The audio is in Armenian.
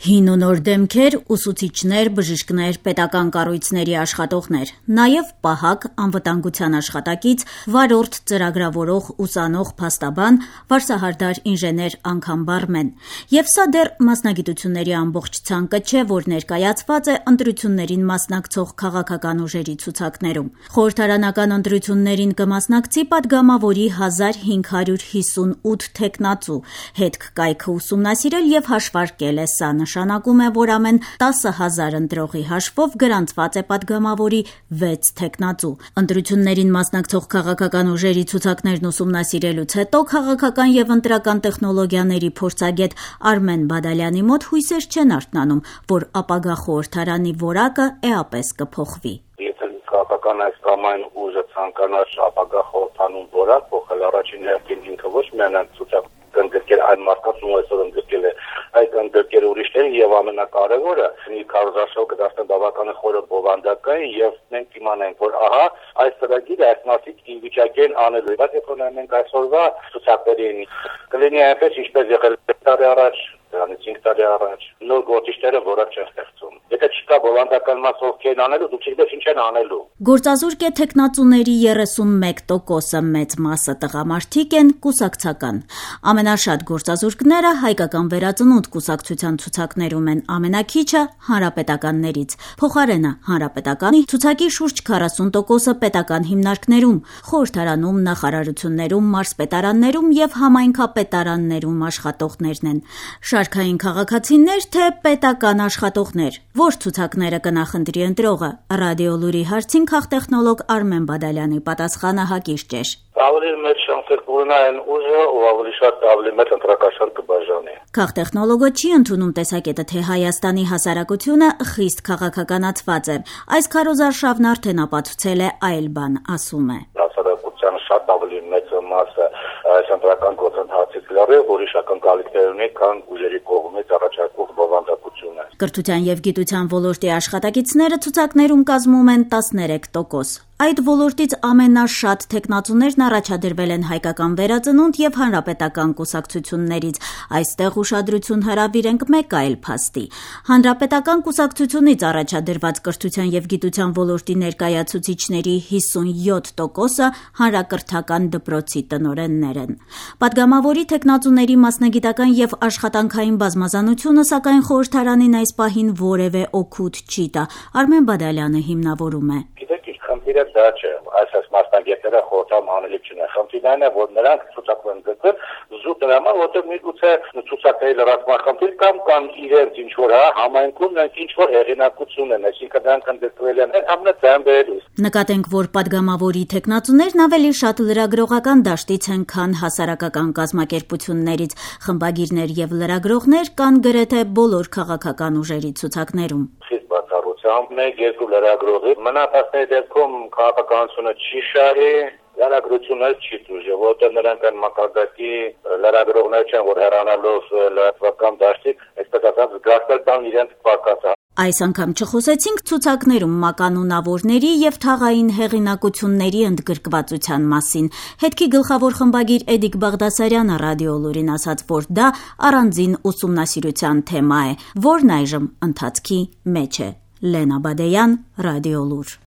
Հին ու նոր դեմքեր, ուսուցիչներ, բժիշկներ, պետական կառույցների աշխատողներ, նաև պահակ, անվտանգության աշխատակից, վարորդ, ծրագրավորող, ուսանող, փաստաբան, վարսահարդար, ինժեներ, անգամ բարմեն։ Եվ սա դեռ մասնագիտությունների ամբողջ ցանկը չէ, որ ներկայացված է ընտրություններին մասնակցող քաղաքական ուժերի ցուցակներում։ Խորհրդարանական ընտրություններին կմասնակցի Պատգամավորի 1558 թեկնածու, հետք կայքը ուսումնասիրել եւ հաշվարկել է սա նշանակում է, որ ամեն 10,000 ընտրողի հաշվով գրանցված է Պատգամավորի 6 թեկնածու։ Ընտրություններին մասնակցող քաղաքական ուժերի ցուցակներն ուսումնասիրելուց հետո քաղաքական եւ ընտրական տեխնոլոգիաների փորձագետ Արմեն Բադալյանի մոտ հույսեր չեն արթնանում, որ ապագա խորհրդարանի որակը էապես կփոխվի։ Եթե քաղաքական այս կամ այն ուժը ցանկանար ապագա խորհրդանում որակ փոխել, առաջին հերթին ինքը ոչ միայն ցուցակ կընդգրկել այն մարդկանց, ում այսօր ընդգրկել է, այդ ընդգրկել ուրիշներին եւ ամենակարևորը մի քարոզարշավ կդարձնի բավականին խորը բովանդակային եւ մենք իմանանք, որ ահա այս ծրագիրը այս մասից ինչ վիճակի են անելու։ Բայց եթե ունենք այսօրվա ցուցակներին, կլինի այնպես ինչպես եղել տարի առաջ, դրանից 5 տարի առաջ, նոր գործիչները որակ չեն ստեղծում։ Եթե չկա բովանդական մաս ովքեր անելու, դուք չգիտեք ինչ են անելու։ Գործազուրկ է թեկնածուների 31%-ը մեծ մասը տղամարդիկ են, կուսակցական։ Ամենաշատ գործազուրկները հայկական վերածնունդ կուսակցության ցուցակներում են, ամենակիչը հանրապետականներից։ Փոխարենը հանրապետականի ցուցակի շուրջ 40%-ը պետական հիմնարկներում, խորհրդարանում, նախարարություններում, մարզպետարաններում եւ համայնքապետարաններում աշխատողներն են։ Շարքային քաղաքացիներ, թե պետական աշխատողներ։ Որ ցուցակները կնախընտրի ընտրողը։ Ռադիոլուրի հարցին քաղտեխնոլոգ Արմեն Բադալյանի պատասխանը հակիրճ էր։ Ավելի մեծ շանսեր կունենա այն ուժը, ով ավելի շատ ավելի մեծ ընտրակաշար կբաժանի։ Քաղտեխնոլոգը չի ընդունում տեսակետը, թե Հայաստանի հասարակությունը խիստ քաղաքականացված է։ Այս քարոզարշավն արդեն ապացուցել է այլ բան, ասում է։ Հասարակության շատ ավելի մեծ մասը այս ընտրական գործընթացից լրիվ ուրիշ ակնկալիքներ ունի, քան ուժերի կողմից առաջարկվող բովանդակությունը։ Կրթության եւ գիտության ոլորտի աշխատակիցները ցուցակներում կազմում են 13%։ Այդ ոլորտից ամենաշատ թեկնածուներն առաջադրվել են հայկական վերածնունդ եւ հանրապետական կուսակցություններից։ Այստեղ ուշադրություն հրավիրենք մեկ այլ փաստի։ Հանրապետական կուսակցությունից առաջադրված կրթության եւ գիտության ոլորտի ներկայացուցիչների 57%-ը հանրակրթական դպրոցի տնօրեններ են։ Պատգամավորի թեկնածուների մասնագիտական եւ աշխատանքային բազմազանությունը սակայն խորհրդարանին այս պահին որևէ օգուտ չի տա։ Արմեն Բադալյանը հիմնավորում է։ Խնդիրը դա չէ, այս մասնագետները խորհրդամ անելիք չունեն։ Խնդիրն այն է, որ նրանք ցուցակում են գտել զուտ դրամա, որտեղ միգուցե ցուցակների լրացման խնդիր կամ իրենց ինչ որ համայնքում նրանք ինչ որ հեղինակություն են, այսինքն նրանք ընդգրկվել են ամենածայրաբերելուց։ Նկատենք, որ Պատգամավորի թեկնածուներն ավելի շատ լրագրողական դաշտից են, քան հասարակական կազմակերպություններից։ Խմբագիրներ եւ լրագրողներ կան գրեթե բոլոր քաղաքական ուժերի ցուցակներում։ Մեկ-երկու լրագրողի մնացածների դեպքում քաղաքականությունը չի շահի, լրագրությունը չի դժ, որտեղ նրանք են մակարդակի լրագրողներ չեն, որ հեռանալով լրատվական դաշտից, այսպես ասած, զգացել տան իրենց պակասը։ Այս անգամ չխոսեցինք ցուցակներում մականունավորների եւ թաղային հեղինակությունների ընդգրկվածության մասին։ Հետքի գլխավոր խմբագիր Էդիկ Բաղդասարյանը Ռադիոլուրին ասաց, որ դա առանձին ուսումնասիրության թեմա է, որն այժմ ընթացքի մեջ է։ Լենա Բադեյան, Ռադիոլուր։